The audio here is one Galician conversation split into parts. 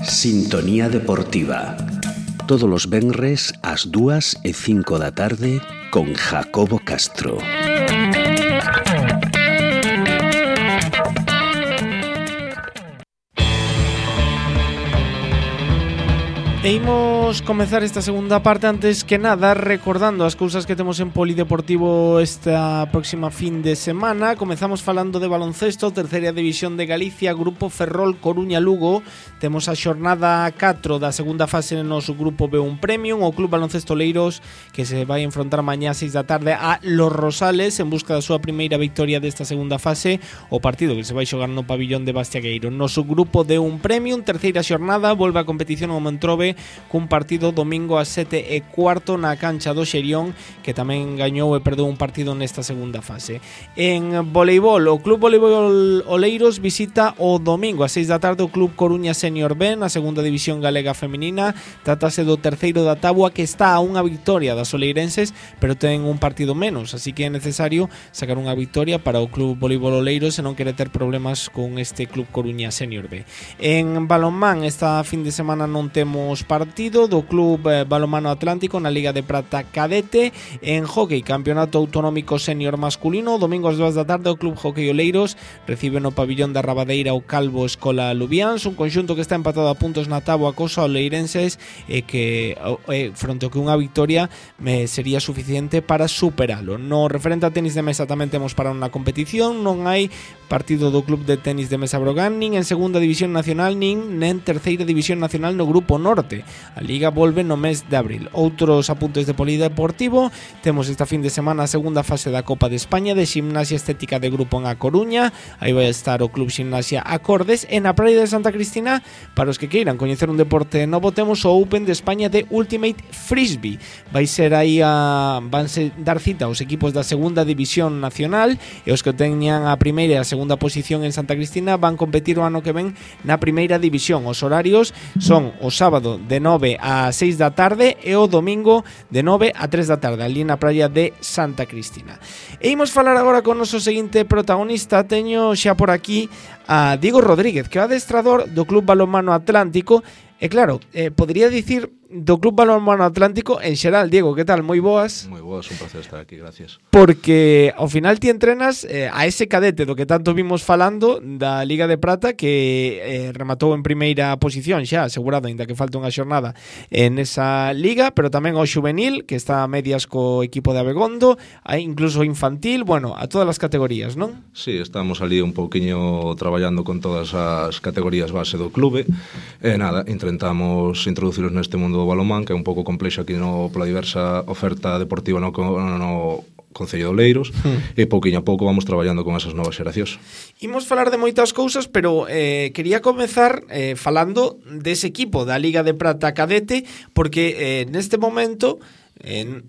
Sintonía Deportiva. Todos os venres ás 2:05 da tarde con Jacobo Castro. E imos comezar esta segunda parte, antes que nada recordando as cousas que temos en Polideportivo esta próxima fin de semana. Comezamos falando de baloncesto, terceira división de Galicia, Grupo Ferrol Coruña-Lugo. Temos a xornada 4 da segunda fase no noso Grupo B1 Premium. O Club Baloncesto Oleiros, que se vai enfrontar mañá a 6 da tarde a Los Rosales en busca da súa primeira victoria desta segunda fase. O partido que se vai xogar no pabillón de Bastiagueiro. Noso Grupo D1 Premium, terceira xornada, volve a competición ao Montrobe cun partido domingo a 7:15 na cancha do Xerión, que tamén gañou e perdeu un partido nesta segunda fase. En voleibol, o Club Voleibol Oleiros visita o domingo a 6 da tarde o Club Coruña Senior B na segunda división galega feminina. Trátase do terceiro da táboa, que está a unha victoria das oleirenses, pero ten un partido menos, así que é necesario sacar unha victoria para o Club Voleibol Oleiros se non quere ter problemas con este Club Coruña Senior B. En balonmán, esta fin de semana non temos partido do Club Balonmano Atlántico na Liga de Prata Cadete. En hockey, Campeonato Autonómico Senior Masculino, domingo ás 2 da tarde o Club Hockey Oleiros recibe no pabillón da Rabadeira o Calvo Escola Lubiáns, un conxunto que está empatado a puntos na táboa cos oleirenses e que fronte ao que unha victoria sería suficiente para superalo. No referente a tenis de mesa tamén temos para unha competición, non hai partido do Club de Tenis de Mesa Brogán nin en segunda división nacional nin en terceira división nacional no Grupo Norte. A Liga volve no mes de abril. Outros apuntes de Polideportivo: temos esta fin de semana a segunda fase da Copa de España de Ximnasia Estética de Grupo en A Coruña. Aí vai estar o Club Ximnasia Acordes. En a Praia de Santa Cristina, para os que queiran coñecer un deporte novo, temos o Open de España de Ultimate Frisbee. Vai ser aí vanse dar cita aos equipos da segunda división nacional, e os que teñan a primeira e a segunda posición en Santa Cristina van competir o ano que ven na primeira división. Os horarios son o sábado de 9 a 6 da tarde e o domingo de 9 a 3 da tarde ali na praia de Santa Cristina. E imos falar agora con o noso seguinte protagonista. Teño xa por aquí a Diego Rodríguez, que é o adestrador do Club Balonmano Atlántico. E claro, podría dicir do Club Balonmano Atlántico en xeral. Diego, que tal? Moi boas. Moi boas, un placer estar aquí, gracias. Porque ao final ti entrenas a ese cadete do que tanto vimos falando da Liga de Prata, que rematou en primeira posición xa, asegurado, ainda que falta unha xornada en esa liga, pero tamén ao xuvenil, que está a medias co equipo de Abegondo, incluso infantil, bueno, a todas as categorías, non? Sí, estamos ali un pouquiño traballando con todas as categorías base do clube, e nada, intentamos introduciros neste mundo do balonmán, que é un pouco complexo aquí pola diversa oferta deportiva no Concello de Oleiros, e pouquiño a pouco vamos traballando con esas novas xeracións. Imos falar de moitas cousas, pero quería comezar falando dese equipo da Liga de Prata Cadete, porque neste momento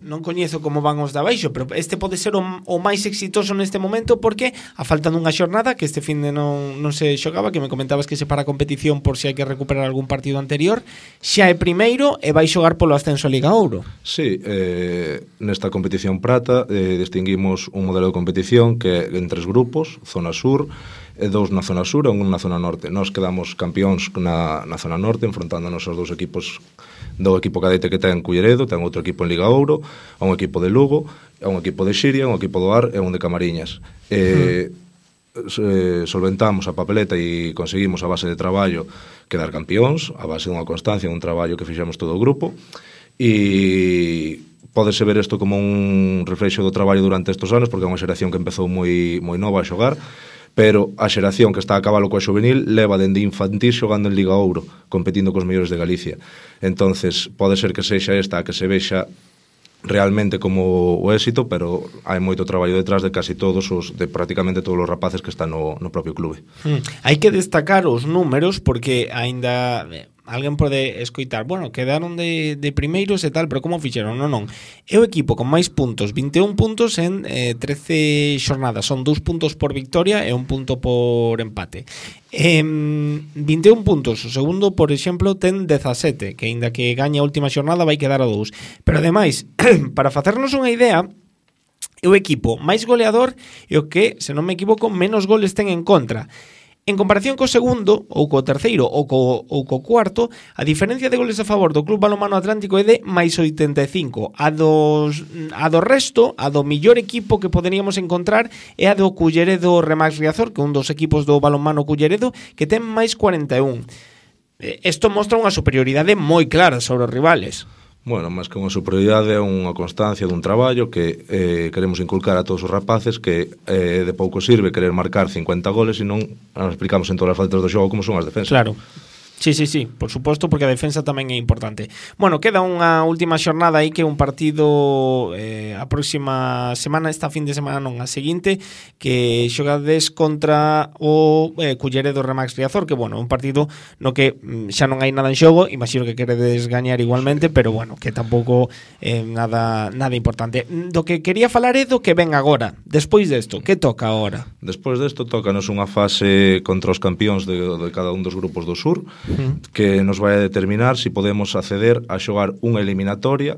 non coñezo como van os de abaixo, pero este pode ser o máis exitoso neste momento, porque a falta dunha xornada, que este fin de non se xogaba, que me comentabas que se para a competición por se hai que recuperar algún partido anterior, xa é primeiro e vai xogar polo ascenso a Liga Ouro. Sí, nesta competición prata distinguimos un modelo de competición que en 3 grupos, zona sur, e 2 na zona sur e 1 na zona norte. Nós quedamos campións na zona norte, enfrontándonos aos 2 equipos do equipo cadete que ten Culleredo, ten outro equipo en Liga Ouro, a un equipo de Lugo, a un equipo de Xiria, un equipo do Ar e un de Camariñas. Solventamos a papeleta e conseguimos a base de traballo quedar campións, a base dunha constancia, un traballo que fixemos todo o grupo, e pódese ver isto como un reflexo do traballo durante estes anos, porque é unha xeración que empezou moi nova a xogar, pero a xeración que está a cabalo coa xuvenil leva dende infantil xogando en Liga Ouro, competindo cos mellores de Galicia. Entonces, pode ser que sexa esta a que se vexa realmente como o éxito, pero hai moito traballo detrás de casi todos de prácticamente todos os rapaces que están no propio clube. Hai que destacar os números, porque aínda alguén pode escoitar, bueno, quedaron de primeiros e tal, pero como fixeron? Non. É o equipo con máis puntos, 21 puntos en 13 xornadas, son 2 puntos por victoria e 1 punto por empate. 21 puntos, o segundo, por exemplo, ten 17, que aínda que gañe a última xornada vai quedar a 2. Pero ademais, para facernos unha idea, é o equipo máis goleador e o que, se non me equivoco, menos goles ten en contra. En comparación co segundo, ou co terceiro, ou co cuarto, a diferencia de goles a favor do Club Balonmano Atlántico é de máis 85. A do resto, a do millor equipo que poderíamos encontrar é a do Culleredo Remax Riazor, que é un dos equipos do Balonmano Culleredo, que ten máis 41. Isto mostra unha superioridade moi clara sobre os rivales. Bueno, máis que unha superioridade é unha constancia dun traballo que queremos inculcar a todos os rapaces que de pouco sirve querer marcar 50 goles e non explicamos en todas as faltas do xogo como son as defensas. Claro. Sí, por suposto, porque a defensa tamén é importante. Bueno, queda unha última xornada aí que é un partido a próxima semana, esta fin de semana non, a seguinte, que xogades contra o Culleredo Remax Riazor, que bueno, un partido no que xa non hai nada en xogo, imagino que queredes gañar igualmente, pero bueno, que tampouco nada importante. Do que quería falar é do que ven agora. Despois desto, que toca agora? Despois desto, tócanos unha fase contra os campións de cada un dos grupos do sur, que nos vai a determinar se podemos acceder a xogar unha eliminatoria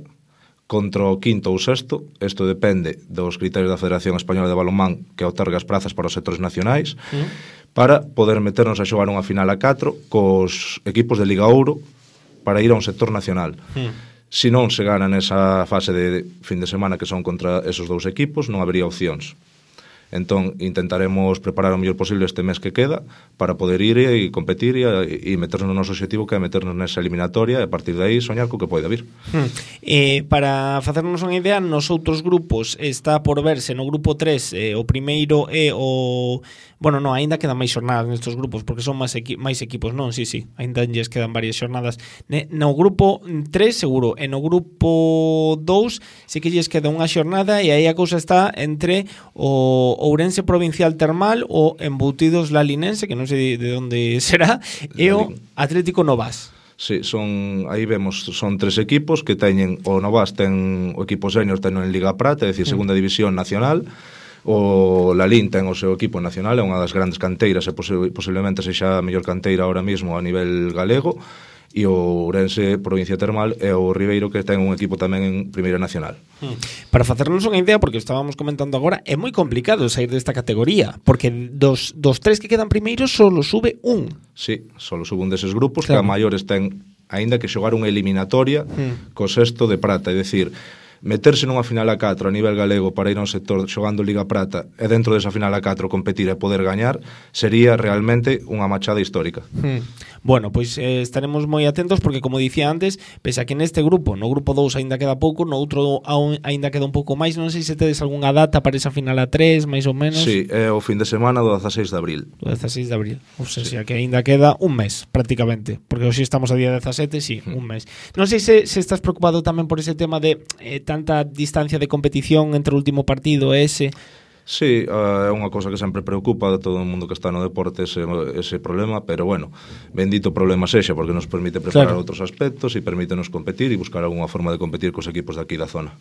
contra o quinto ou sexto. Isto depende dos criterios da Federación Española de Balonmán, que outorga as prazas para os sectores nacionais, para poder meternos a xogar unha final a 4 cos equipos de Liga Ouro para ir a un sector nacional. Se non se gana nesa fase de fin de semana que son contra esos dous equipos, non habería opcións. Entón, intentaremos preparar o mellor posible este mes que queda para poder ir e competir e meternos no noso objetivo, que é meternos nesa eliminatoria e a partir de aí soñar co que poida vir. Para facernos unha idea, nos outros grupos está por verse no grupo 3 o primeiro é o... Bueno, non, aínda quedan máis xornadas nestes grupos porque son máis equipos, non? Sí, aínda lles quedan varias xornadas. No grupo 3 seguro, e no grupo 2 sí que lles queda unha xornada e aí a cousa está entre o Ourense Provincial Termal, o Embutidos Lalinense, que non sei de onde será, e o Atlético Novas. Sí, aí vemos, son 3 equipos que teñen, o Novas ten o equipo senior, ten en Liga Prata, é dicir, segunda división nacional. O Lalín ten o seu equipo nacional, é unha das grandes canteiras e posiblemente sexa a mellor canteira ahora mismo a nivel galego, e o Ourense Provincia Termal é o Ribeiro, que ten un equipo tamén en Primeira Nacional. Para facernos unha idea, porque estábamos comentando agora, é moi complicado sair desta categoría, porque dos 3 que quedan primeiros solo sube un. Sí, solo sube un deses grupos, claro. Que a maiores ten aínda que xogar unha eliminatoria co sexto de prata, é dicir, meterse nunha final a 4 a nivel galego para ir a un sector xogando Liga Prata e dentro desa final a 4 competir e poder gañar sería realmente unha machada histórica. Bueno, pois estaremos moi atentos porque, como dicía antes, pese a que neste grupo, no grupo 2 aínda queda pouco, no outro aínda queda un pouco máis. Non sei se tedes algunha data para esa final a 3, máis ou menos. Sí, é o fin de semana do 16 de abril. Do 16 de abril. O sea, que aínda queda un mes, prácticamente, porque hoxe estamos a día 17, sí, un mes. Non sei se estás preocupado tamén por ese tema de tanta distancia de competición entre o último partido e ese. Sí, é unha cousa que sempre preocupa de todo o mundo que está no deporte ese problema, pero bueno, bendito problema sexa, porque nos permite preparar outros aspectos e permítenos competir e buscar algunha forma de competir cos equipos de aquí da zona.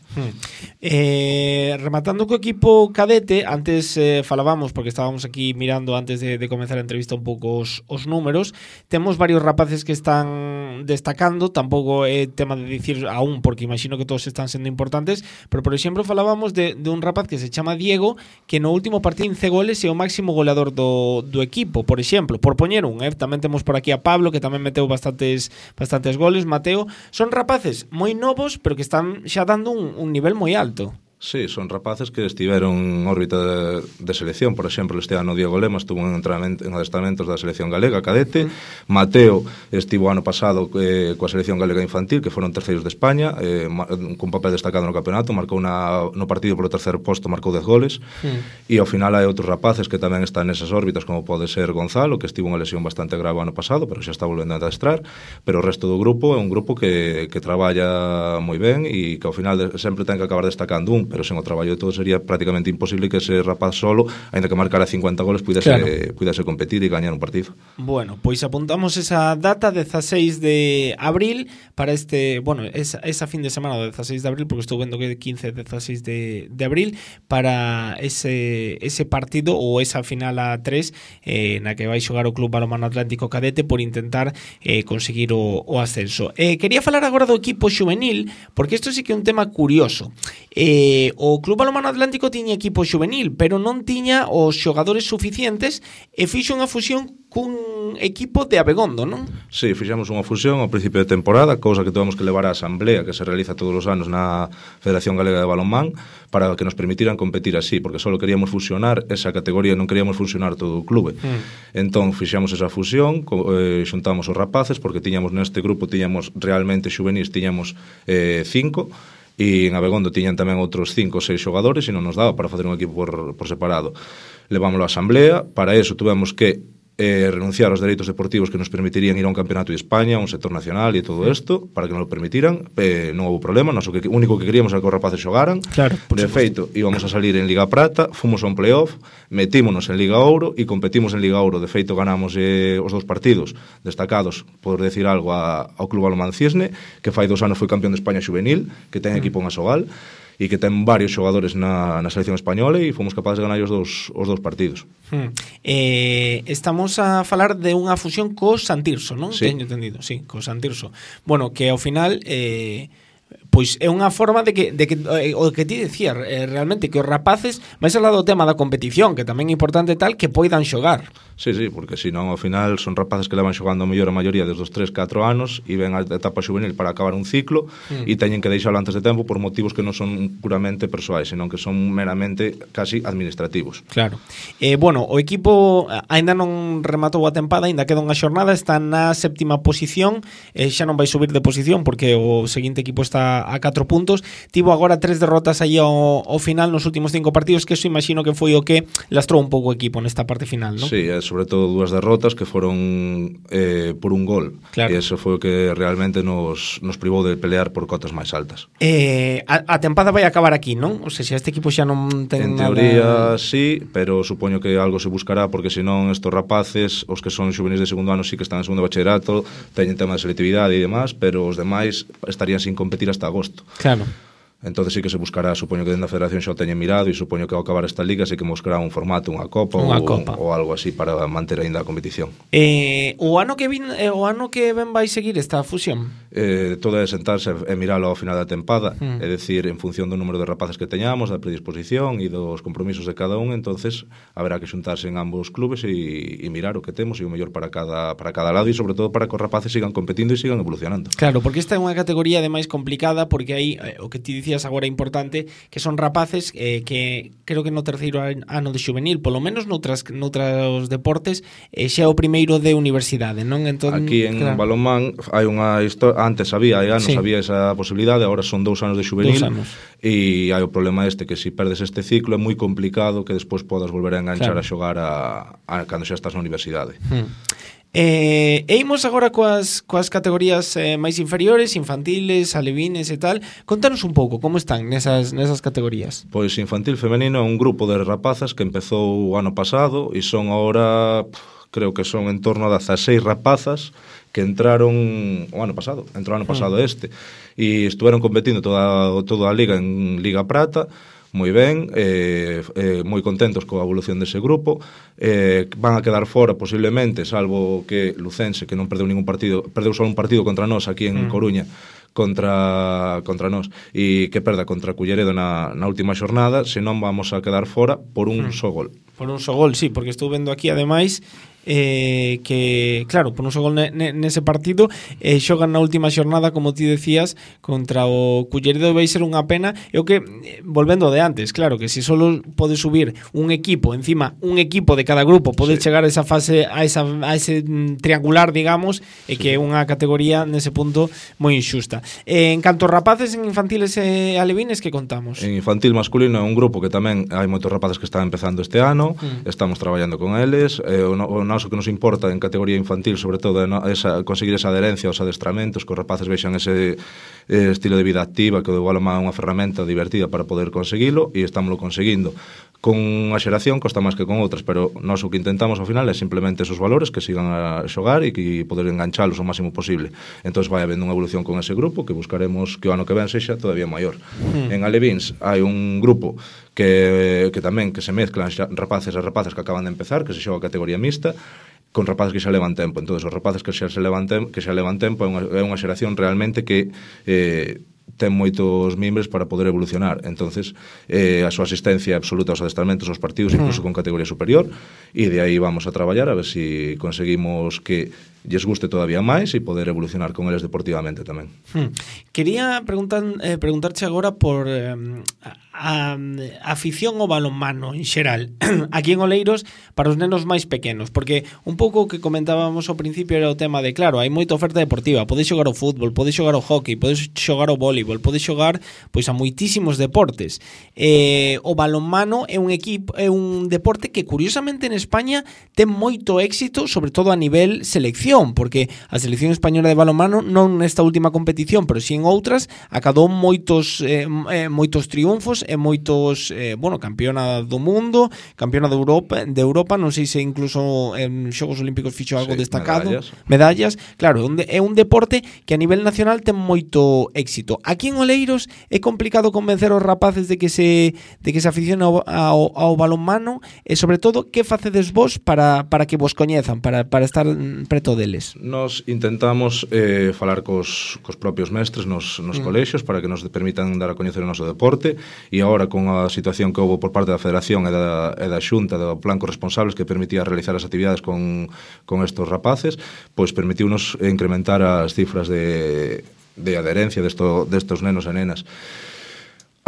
Rematando co equipo cadete, antes falábamos, porque estábamos aquí mirando antes de comenzar a entrevista un pouco os números, temos varios rapaces que están destacando, tampouco é tema de dicir aún, porque imagino que todos están sendo importantes, pero por exemplo falábamos de un rapaz que se chama Diego, que no último partido 15 goles é o máximo goleador do equipo, por exemplo, por poñer un, tamén temos por aquí a Pablo, que tamén meteu bastantes goles, Mateo. Son rapaces moi novos, pero que están xa dando un nivel moi alto. Sí, son rapaces que estiveron en órbita de selección. Por exemplo, este ano Diego Lema estuvo en adestamentos da selección galega cadete. Mateo estivo ano pasado coa selección galega infantil, que foron terceiros de España, con papel destacado no campeonato, marcou no partido polo terceiro posto, marcou 10 goles. E ao final hai outros rapaces que tamén están nesas órbitas, como pode ser Gonzalo, que estivo unha lesión bastante grave ano pasado, pero xa está volvendo a adestrar. Pero o resto do grupo é un grupo que traballa moi ben e que ao final sempre ten que acabar destacando un, pero sen o traballo de todo sería prácticamente imposible que ese rapaz solo, aínda que marcara 50 goles, pudese competir e gañar un partido. Bueno, pois apuntamos esa data 16 de abril para esa fin de semana do 16 de abril, porque estou vendo que é 15 e 16 de abril, para ese partido ou esa final a 3 na que vai xogar o Club Balonmano Atlántico Cadete por intentar conseguir o ascenso. Quería falar agora do equipo xuvenil, porque isto sí que é un tema curioso. o Club Balonmano Atlántico tiña equipo xuvenil, pero non tiña os xogadores suficientes e fixo unha fusión cun equipo de Abegondo, non? Sí, fixemos unha fusión ao principio de temporada, cousa que tuvemos que levar á asamblea que se realiza todos os anos na Federación Galega de Balonmán para que nos permitiran competir así, porque só queríamos fusionar esa categoría, non queríamos fusionar todo o clube. Entón, fixemos esa fusión, xuntamos os rapaces, porque tiñamos neste grupo, tiñamos realmente xuvenis, tiñamos 5, e en Abegondo tiñan tamén outros 5 ou 6 xogadores e non nos daba para facer un equipo por separado. Levámoslo á asamblea, para eso tuvemos que renunciar aos dereitos deportivos que nos permitirían ir a un campeonato de España, a un sector nacional e todo isto, para que nos lo permitiran. Non houve problema, o único que queríamos era que os rapaces xogaran. Claro, de feito, íbamos a salir en Liga Prata, fomos a un playoff, metímonos en Liga Ouro e competimos en Liga Ouro. De feito, ganamos os 2 partidos destacados, por decir algo, ao Club Balonmán Cisne, que fai 2 anos foi campeón de España xuvenil, que ten equipo en Asogal, e que ten varios xogadores na selección española, e fomos capaces de ganar os dous partidos. Estamos a falar de unha fusión co Santirso, non? Sí. Teño entendido, sí, co Santirso. Bueno, que ao final pois é unha forma de que o que ti decías, realmente que os rapaces, máis ao lado do tema da competición, que tamén é importante tal, que poidan xogar. Sí, porque senón ao final son rapaces que levan xogando a mellor a maioría desde os 3-4 anos e ven a etapa juvenil para acabar un ciclo e teñen que deixalo antes de tempo por motivos que non son puramente persoais, senón que son meramente casi administrativos. Claro. Bueno, o equipo aínda non rematou a tempada, aínda queda unha xornada, está na 7ª posición, xa non vai subir de posición porque o seguinte equipo está a 4 puntos. Tivo agora 3 derrotas aí ao final nos últimos 5 partidos, que eso imagino que foi o que lastrou un pouco o equipo nesta parte final, non? Sí, sobre todo 2 derrotas que foron por un gol. Claro. E eso foi o que realmente nos privou de pelear por cotas máis altas. A tempada vai acabar aquí, non? O sea, este equipo xa non ten en teoría nada... sí, pero supoño que algo se buscará, porque senón estos rapaces, os que son xuvenis de segundo ano sí que están en segundo bachillerato, teñen tema de selectividade e demás, pero os demais estarían sin competir hasta agosto. Claro. Entonces sí que se buscará, supoño que dentro da Federación xa o teñen mirado, e supoño que ao acabar esta liga sí que buscará un formato, unha copa ou algo así para manter aínda a competición. O ano que ven vai seguir esta fusión? Todo é sentarse e miralo ao final da tempada, é dicir, en función do número de rapaces que teñamos, da predisposición e dos compromisos de cada un, entonces haberá que xuntarse en ambos clubes e mirar o que temos e o mellor para cada lado, e sobre todo para que os rapaces sigan competindo e sigan evolucionando. Claro, porque esta é unha categoría de máis complicada, porque hai o que ti dicías agora importante, que son rapaces que creo que no terceiro ano de xuvenil, polo menos noutros deportes, xa é o primeiro de universidade, non? Entón, aquí en balonmán hai unha historia, antes había esa posibilidade, agora son 2 anos de xuvenil, e hai o problema que se perdes este ciclo é moi complicado que despois podas volver a enganchar a xogar cando xa estás na universidade. E imos agora coas categorías máis inferiores, infantiles, alevines e tal. Contanos un pouco como están nesas categorías. Pois infantil femenino é un grupo de rapazas que empezou o ano pasado e son agora, creo que son en torno a 16 rapazas que entraron o ano pasado, este, e estuveron competindo toda a liga en Liga Prata, moi ben, moi contentos coa evolución dese grupo. Van a quedar fora posiblemente, salvo que Lucense, que non perdeu ningún partido, perdeu só un partido contra nós aquí en Coruña, contra nós, e que perda contra Culleredo na última xornada, senón vamos a quedar fora por un só gol. Por un só gol, sí, porque estou vendo aquí ademais que, claro, por un só gol nese partido, xogan na última xornada, como ti decías, contra o Culleredo. Vai ser unha pena. E o que, volvendo de antes, claro, que se solo pode subir un equipo, encima un equipo de cada grupo pode chegar a esa fase, a ese triangular, digamos, e que é unha categoría nese punto moi injusta. En canto a rapaces, en infantiles e alevines, que contamos? En infantil masculino é un grupo que tamén hai moitos rapaces que están empezando este ano, estamos traballando con eles, o noso que nos importa en categoría infantil sobre todo é conseguir esa adherencia aos adestramentos, que os rapaces vexan ese estilo de vida activa, que o balonmán é unha ferramenta divertida para poder conseguilo, e estámoslo conseguindo. Con unha xeración costa máis que con outras, pero nós o que intentamos ao final é simplemente esos valores, que sigan a xogar e que poder enganchalos o máximo posible. Entón vai habendo unha evolución con ese grupo que buscaremos que o ano que ven sexa todavía maior. En alevins hai un grupo que tamén que se mezclan rapaces e rapazas que acaban de empezar, que se xoga a categoría mixta, con rapaces que xa levan tempo. Entón, os rapaces que xa levan tempo é unha xeración realmente que ten moitos mimbres para poder evolucionar. Entonces, a súa asistencia absoluta aos adestramentos, aos partidos, incluso con categoría superior, e de aí vamos a traballar a ver se conseguimos que lles guste todavía máis e poder evolucionar con eles deportivamente tamén. Quería preguntarche agora por a afición ao balonmano en xeral aquí en Oleiros para os nenos máis pequenos, porque un pouco o que comentábamos ao principio era o tema de, claro, hai moita oferta deportiva, podes xogar o fútbol, podes xogar o hockey, podes xogar o voleibol, podes xogar pois a moitísimos deportes. O balonmano é un deporte que curiosamente en España ten moito éxito, sobre todo a nivel selección, porque a selección española de balonmano non nesta última competición, pero si en outras acadou moitos triunfos e moitos, campeona do mundo, campeona de Europa, non sei se incluso en Xogos Olímpicos fixo algo destacado, medallas. Claro, é un deporte que a nivel nacional ten moito éxito. Aquí en Oleiros é complicado convencer aos rapaces de que se aficionen ao balonmano, e sobre todo, que facedes vos para que vos coñezan, para estar preto deles? Nos intentamos falar cos propios mestres nos colexios para que nos permitan dar a coñecer o noso deporte, e agora con a situación que houve por parte da Federación e da Xunta do plan corresponsables que permitía realizar as actividades con estos rapaces, pois permitiunos incrementar as cifras de adherencia destos nenos e nenas.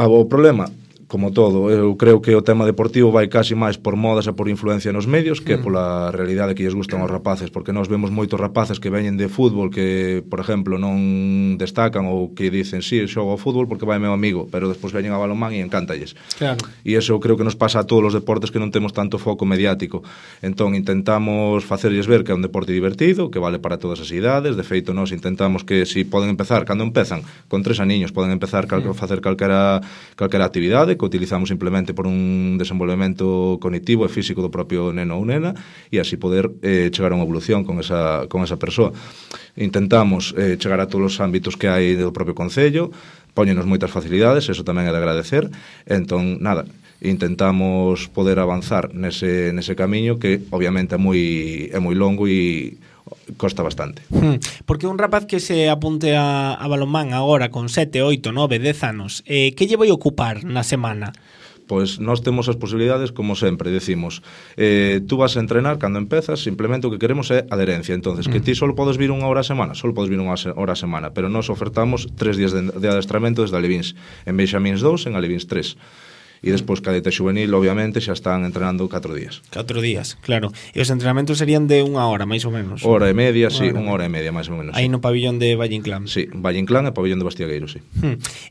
O problema, como todo, eu creo que o tema deportivo vai casi máis por modas e por influencia nos medios que pola realidade que lles gustan aos rapaces, porque nós vemos moitos rapaces que veñen de fútbol que, por exemplo, non destacan ou que dicen, xogo ao fútbol porque vai meu amigo, pero despois veñen a balonmán e encántalles. Claro. E iso eu creo que nos pasa a todos os deportes que non temos tanto foco mediático. Entón, intentamos facerlles ver que é un deporte divertido, que vale para todas as idades. De feito, nós intentamos que se poden empezar, cando empezan, con 3 aniños, poden empezar a facer calquera actividade, que utilizamos simplemente por un desenvolvemento cognitivo e físico do propio neno ou nena, e así poder chegar a unha evolución con esa persoa. Intentamos chegar a todos os ámbitos que hai do propio concello, póñenos moitas facilidades, eso tamén é de agradecer. Entón, nada, intentamos poder avanzar nese camiño que obviamente é moi longo e costa bastante. Porque un rapaz que se apunte a balonmán agora con 7, 8, 9, 10 anos, que lle vai ocupar na semana? Pois nós temos as posibilidades, como sempre, decimos, tú vas a entrenar cando empezas, simplemente o que queremos é adherencia. Entonces, que ti só podes vir unha hora a semana, só podes vir unha hora a semana, pero nós ofertamos 3 días de adestramento desde Alevins, en Benxamíns 2, en Alevins 3. E despois cadete xuvenil, obviamente, xa están entrenando 4 días. 4 días, claro. E os entrenamentos serían de unha hora, máis ou menos. Hora e media, sí, unha hora e media, máis ou menos. Aí no pabillón de Valle Inclán. Sí, Valle Inclán e pabillón de Bastiagueiro, sí.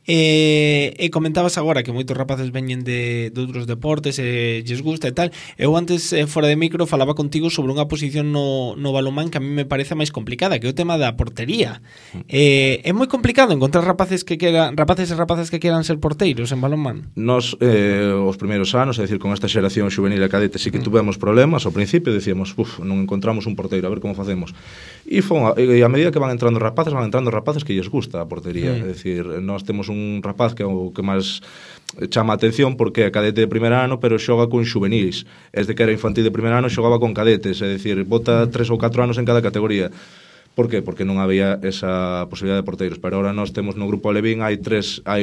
E comentabas agora que moitos rapaces veñen de outros deportes e lles gusta e tal. Eu antes, fora de micro, falaba contigo sobre unha posición no balonmán que a mí me parece máis complicada, que é o tema da portería. É moi complicado encontrar rapaces e rapazas que queran ser porteiros en balonmán. Nos os primeiros anos, é dicir, con esta xeración xuvenil e cadete sí que tuvemos problemas. Ao principio decíamos, non encontramos un porteiro, a ver como facemos. E a medida que van entrando rapaces que lles gusta a portería. É dicir, nós temos un rapaz que é o que máis chama a atención porque é cadete de primer ano, pero xoga con xuvenilis. Desde que era infantil de primer ano xogaba con cadetes, é dicir, bota 3 ou 4 anos en cada categoría. Por qué? Porque non había esa posibilidade de porteiros. Pero ahora nós temos no grupo Alevín hai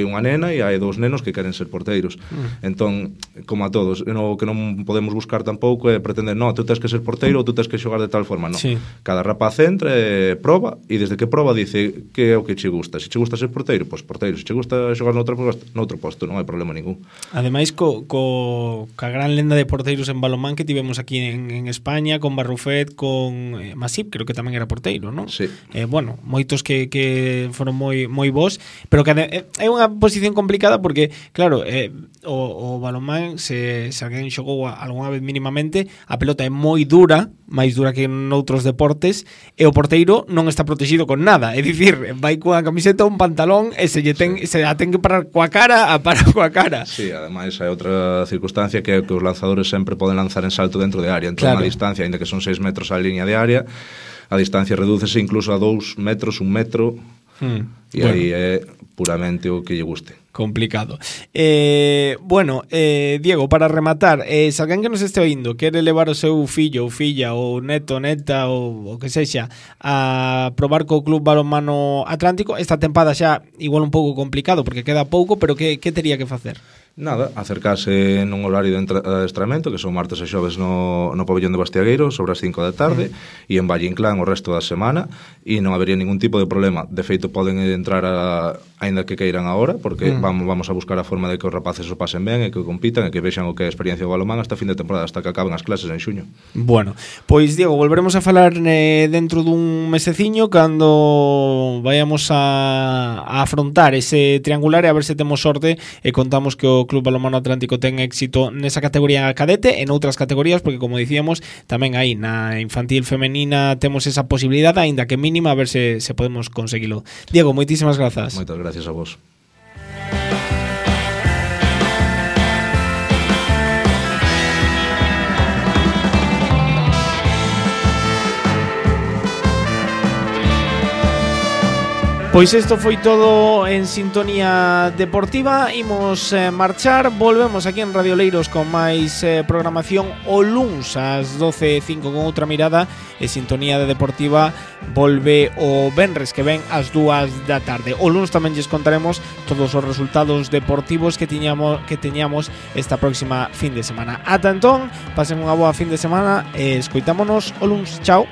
unha nena e hai 2 nenos que queren ser porteiros. Entón, como a todos, o que non podemos buscar tampouco é pretender, tú tens que ser porteiro ou tú tens que xogar de tal forma. Sí. Cada rapaz entra, proba, e desde que proba dice que é o que che gusta. Se che gusta ser porteiro, pois porteiro. Se che gusta xogar noutro posto, non hai problema ningún. Ademais, ca gran lenda de porteiros en balonmán que tivemos aquí en España, con Barrufet, con Masip, creo que tamén era porteiro, non? Sí. Moitos que foron moi bons, pero que é unha posición complicada porque, claro, o balonmán, se alguén xogou algunha vez mínimamente, a pelota é moi dura, máis dura que noutros deportes, e o porteiro non está protegido con nada, é dicir, vai coa camiseta, un pantalón, e se a ten que parar coa cara, a parar coa cara. Sí, ademais hai outra circunstancia que é que os lanzadores sempre poden lanzar en salto dentro de área, entón a distancia, ainda que son 6 metros a línea de área, a distancia redúcese incluso a 2 metros, 1 metro, e aí é puramente o que lle guste. complicado. Bueno, Diego, para rematar, se alguén que nos este oindo quere levar o seu fillo ou filla ou neto, neta ou que sexa a probar co Club Balonmano Atlántico, esta tempada xa igual un pouco complicado porque queda pouco, pero que tería que facer? Nada, acercarse nun horario de adestramento, que son martes e xoves no pabellón de Bastiagueiro, sobre as 5 da tarde, e en Valle Inclán o resto da semana, e non habería ningún tipo de problema. De feito, poden entrar aínda que queiran agora, porque vamos a buscar a forma de que os rapaces o pasen ben e que compitan e que vexan o que é a experiencia do balonmán hasta fin de temporada, hasta que acaben as clases en xuño. Bueno, pois Diego, volveremos a falar dentro dun meseciño cando vayamos a afrontar ese triangular e a ver se temos sorte e contamos que o Club Balonmano Atlántico ten éxito nesa categoría cadete e noutras categorías, porque como dicíamos, tamén aí na infantil femenina temos esa posibilidade, aínda que mínima, a ver se podemos conseguilo. Diego, moitísimas grazas. Moitas gracias a vos. Pois isto foi todo en Sintonía Deportiva. Imos marchar, volvemos aquí en Radio Leiros con máis programación o luns ás 12:05 con outra mirada, e Sintonía Deportiva volve o venres que ven ás 2 da tarde. O luns tamén lles contaremos todos os resultados deportivos que teñamos esta próxima fin de semana. Ata entón, pasen unha boa fin de semana e escoitámonos o luns. Chao.